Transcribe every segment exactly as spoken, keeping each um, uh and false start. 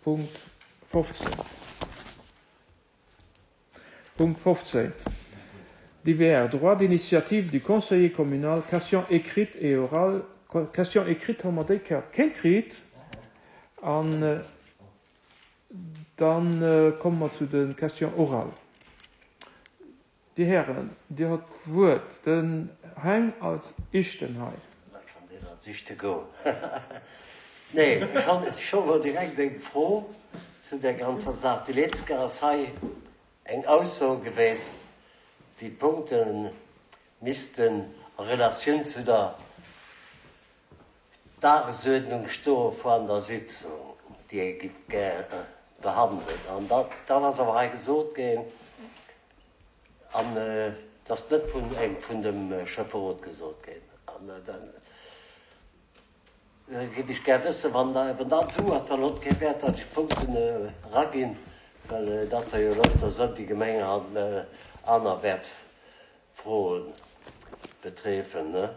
Punkt fofzéng. Punkt fofzéng, Divers, droit d'initiative du conseiller communal, questions écrites et orales. Questions écrites hu mer déi Kéier keng kritt. An dann komme mer zu de Questions orales. Dir Hären, Dir hutt d'Wuert. Den Heng als Éischten hei. Da kann deen als Éischte goen. Nee, ech hunn scho mol direkt eng Fro zu där ganzer Saach. Déi letzt Kéier ass hei eng Ausso geweest, déi Punkte missten a Relatioun zu der Dagesuerdnung stoe vun der Sitzung, déi ee giff gär behandelen. An dann ass awer hei gesot ginn, an et ass net vun engem vun dem Schäfferot gesot ginn, an da giff ech gär wëssen, wann dat esou ass, dann huet kee Wäert, datt ech Punkten eraginn, well dat der jo lauter sënn, déi Gemeng an anerwäerts Froen betreffen.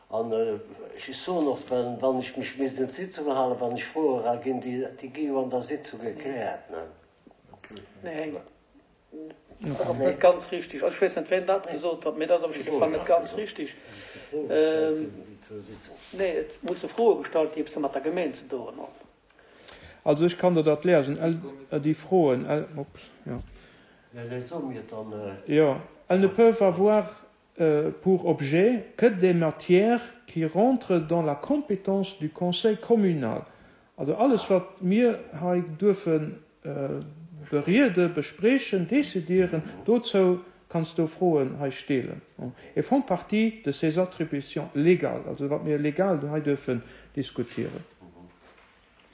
An ech soen och, well wann ech mech misst un d'Sitzung halen, wann ech Froe eraginn, déi gi jo an der Sitzung gekläert. Nee, dat ass net ganz richtig. Also ech weess net, wien dat gesot huet, mee dat ass op jidde Fall net ganz richtig. Nee, et musse Froe gestallt ginn, eppes mat der Gemeng ze doen hunn. Also ech kann der dat lesen, déi Froen, ups, jo. Jo, elles ne peuvent avoir pour objet que des matières qui rentrent dans la compétence du conseil communal. Also alles wat mir hei duerfe berieden, besprechen, décidieren, dozou kanns du Froen hei stellen. Et font partie de ses attributions légales, also wat mir legal hei duerfen diskutieren.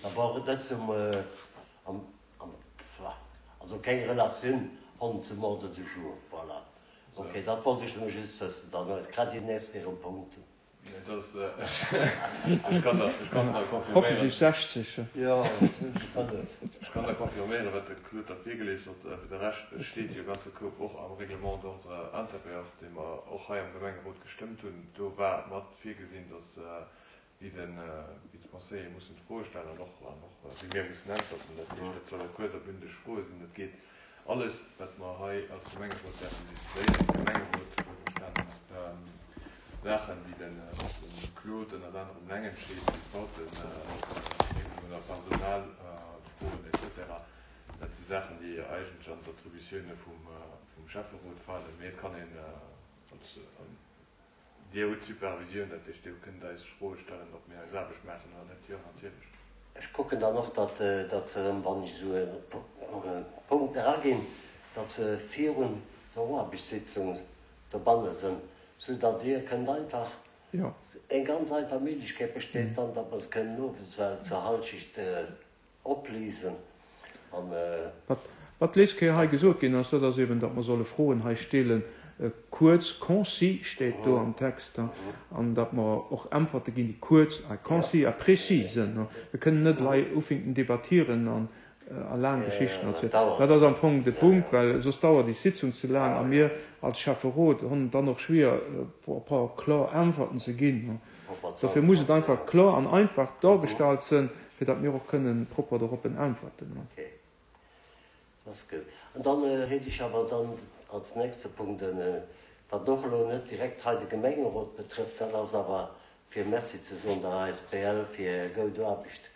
Da brauch et net zum, also keng Relatioun hunn zum Ordre du jour. Voilà. Ok, dat wollt ech nëmme just wëssen. Dann kritt Dir nächst Kéier e Punkt. Ech kann der confirméieren. Hoffentlech sechzeg. Jo, fënnef. Ech kann der confirméieren, wat de Claude da virgelies huet. Fir de Rescht steet jo ganze Koup och am Règlement d'ordre intérieur, dee mer och hei am Gemengerot gestëmmt hunn. Do war mat virgesinn, dass wéi de wéi de Conseiller mussen d'Froe stellen an och an och wéi mir mussen äntwerten. Dat heescht, dat solle kuerz a bündeg Froe sinn. Dat geet alles, wat mer hei als Gemengerot däerfen decidéieren. De Gemengerot, wuelverstanen, Saachen, déi den Claude ënnert anerem leng entscheet, wéi d'Bauteregelung oder Personalfroen et cetera, dat si Saachen, déi eigentlech an d'Attributioune vum Schäfferot falen. Mee et kann een als, Dir hutt d'Supervisioun, dat heescht, Dir kënnt eis Froe stellen, ob mir eis Aarbecht maachen oder net. Jo, natierlech. Ech kucken dann och, datt datt se erëm, wann ech esou e Punkt eraginn, datt se virun der Aarbechtssitzung dobanne sënn, soudatt Dir kënnt einfach, eng ganz einfach Méiglechkeet besteet dann, datt mer se kënnen owes zur Halschecht opliesen an. Wat d'lescht Kéier hei gesot ginn ass, dat ass eben, datt mer solle Froen hei stellen, kuerz, concis steet do am Text, an datt mer och Äntwerte ginn, déi kuerz a concis a précis sinn. Mir kënnen net hei ufinken debattieren an a laang Geschichten erzielen. Dat ass am Fong de Punkt, well soss dauert déi Sitzung ze laang a mir als Schäfferot hunn et dann och schwier, e puer kloer Äntwerten ze ginn. Dofir muss et einfach kloer an einfach dargestallt sinn, fir datt mir och kënnen propper doroppen äntwerten. Dat ass gutt. An dann hätt ech awer dann als nächste Punkt en, wat och elo net direkt hei de Gemengerot betrëfft, dat ass awer fir Merci ze soen der A S B L fir hir goud Aarbecht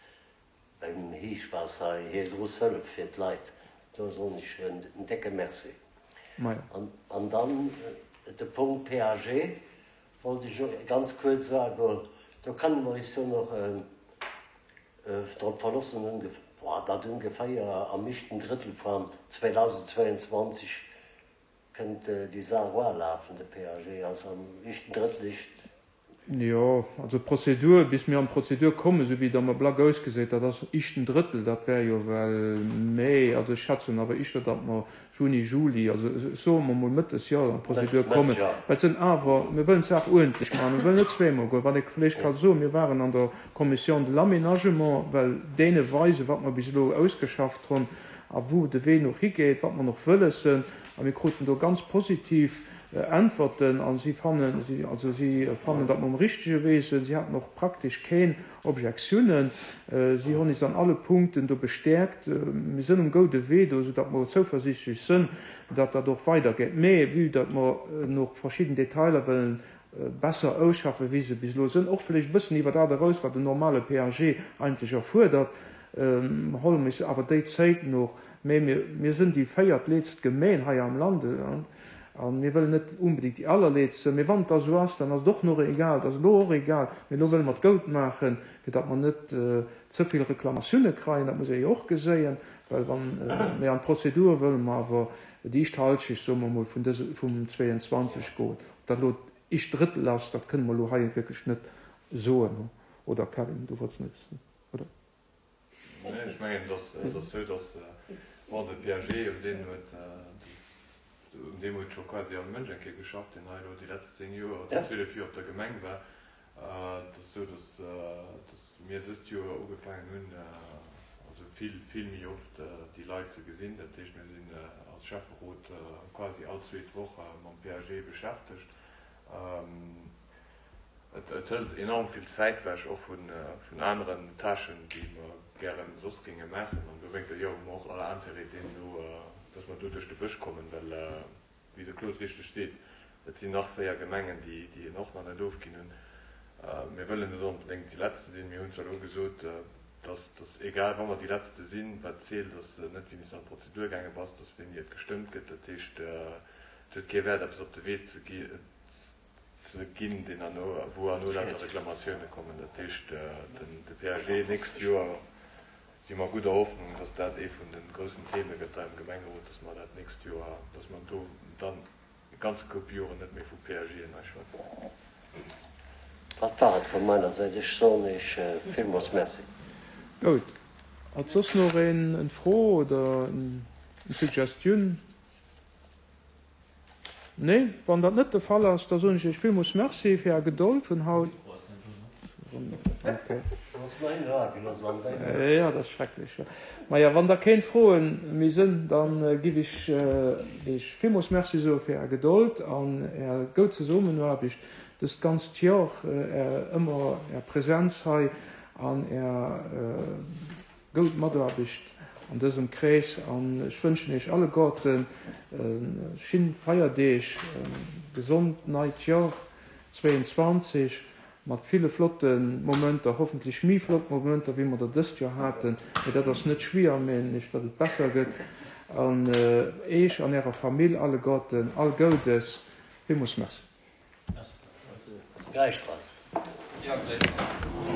beim Héichwaasser, hir grouss Hëllef fir d'Leit. Do soen ech en décke Merci. Majo. An dann de Punkt P A G wollt ech och ganz kuerz agoen. Do kënne mer eis jo nach drop verlossen, datt ongeféier am éischten Drëttel vun zweedausendzweianzwanzeg kënnt déi Saach lafen, de P A G ass am éischten Drëttel éischt. Jo, also d'Prozedur, bis mir an d'Prozedur kommen, esou wéi et am Ablack ausgesäit, dat ass éischten Drëttel, dat wär jo well Mee, also ech schätzen awer éischter, datt mer Juni, Juli, also ech soe mer mol Mëtt des Joers an d'Prozedur kommen. Well et sinn awer, mir wëllen d'Saach uerdentlech maachen, mir wëllen net zweemol goen. Wat ee vläicht ka soen, mir waren an der Commission de l'aménagement, well deene weisen, wat mer bis elo ausgeschafft hunn a wou de Wee nach higeet, wat mer nach wëlles sinn, a mir kruten do ganz positiv Äntwerten a si fannen, also si fannen, datt mer um richtege Wee sinn. Si haten och praktesch keen Objektiounen. Si hunn is an alle Punkten do bestäerkt. Mir sënn um goude Wee do, soudatt mer zouversiichtlech sënn, datt dat och weidergeet. Mee vue datt mer nach verschidden Detailer wëllen besser ausschaffen, wéi se bis elo sënn, och vläicht e bëssen iwwer dat eraus, wat en normale P A G eigentlech erfuerdert, holle mir is awer déi Zäit nach. Mee mir, mir sënn déi véiertleetzt Gemeen hei am Land a mir wëllen net unbedingt déi allerleetzt sinn. Mee wann et da sou ass, dann ass et och nach egal, et ass elo och egal, mee elo wëlle mer et goud maachen, fir datt mer net ze vill Reklamatioune kreien, dat muss ee jo och geséien, well wann, mee an d'Prozedur wëlle mer awer déi éischt Halschecht, soe mer emol, vun dëse, vum zweeënzwanzeg goen. Ob dat elo d'éischt Drëttel ass, dat kënne mer elo hei wierklech net soen, oder Kevin, du wollts net, oder? Nee, ech mengen, et ass, et ass esou, datt, bon, de P A G, un deem huet, un deem huet scho quasi all Mënsch eng Kéier geschafft, deen hei elo déi letzt zéng Joer oder zwielef Joer op der Gemeng war. Et ass esou, datt, datt mir dëst Joer ugefaangen hunn, also vill, vill méi oft déi Leit ze gesinn. Dat heescht, mir sinn als Schäfferot quasi all zweet Woch mam P A G beschäftegt. Et hëlt enorm vill Zäit wech, och vun aneren Tâchen, déi mer gären soss géinge maachen. An dowéinter, jo, hu mer och all Intérêt deemno, dass mer do duerch de Bësch kommen, well, wéi de Claude richteg seet, et sinn nach véier Gemengen, déi en och nach net ofginn hunn. Mir wëllen net onbedéngt déi Letzte sinn. Mir hunn zwar elo gesot, dass, dass egal, wa mer déi Letzte sinn, wat zielt, ass net, wéini s de an d'Prozedur gaange bass, dass wéini et gestëmmt gëtt. Dat heescht, et huet kee Wäert, eppes op de Wee ze ze ginn, deen herno, wou herno lauter Reklamatioune kommen. Dat heescht, de P A G nächst Joer si mer gudder Hoffnung, dass dat ee vun de groussen Theme gëtt hei am Gemengerot, dass mer dat nächst Joer, dass mer do dann e ganze Koup Joren net méi vu P A Gen hei schwätzen. Dat war et vu meiner Säit. Ech soen Iech villmools Merci. Goud. Hat soss nach een eng Fro oder eng Suggestioun? Nee? Wann dat net de Fall ass, da soen ech Iech villmools Merci fir Är Gedold vun haut. Okay. Jo, dat ass schrecklech, jo. Maja, wann da keen Froen méi sënn, dann giff ech Iech villmools Merci soe fir Är Gedold an Är goud Zesummenaarbecht dëst ganzt Joer, Är ëmmer Är Präsenz hei an Är goud Mataarbecht an dësem Krees. An ech wënschen Iech alleguerten schin Feierdeeg, gesond neit Joer zweeënzwanzeg mat ville flotte Momenter, hoffentlech méi flott Momenter wéi mer der dëst Joer haten, mee dat ass net schwier, meen ech, datt et besser gëtt. An Eech an Ärer Famill alleguerten all Goudes. Villmools Merci. Gläichfalls. Jo, gläichfalls.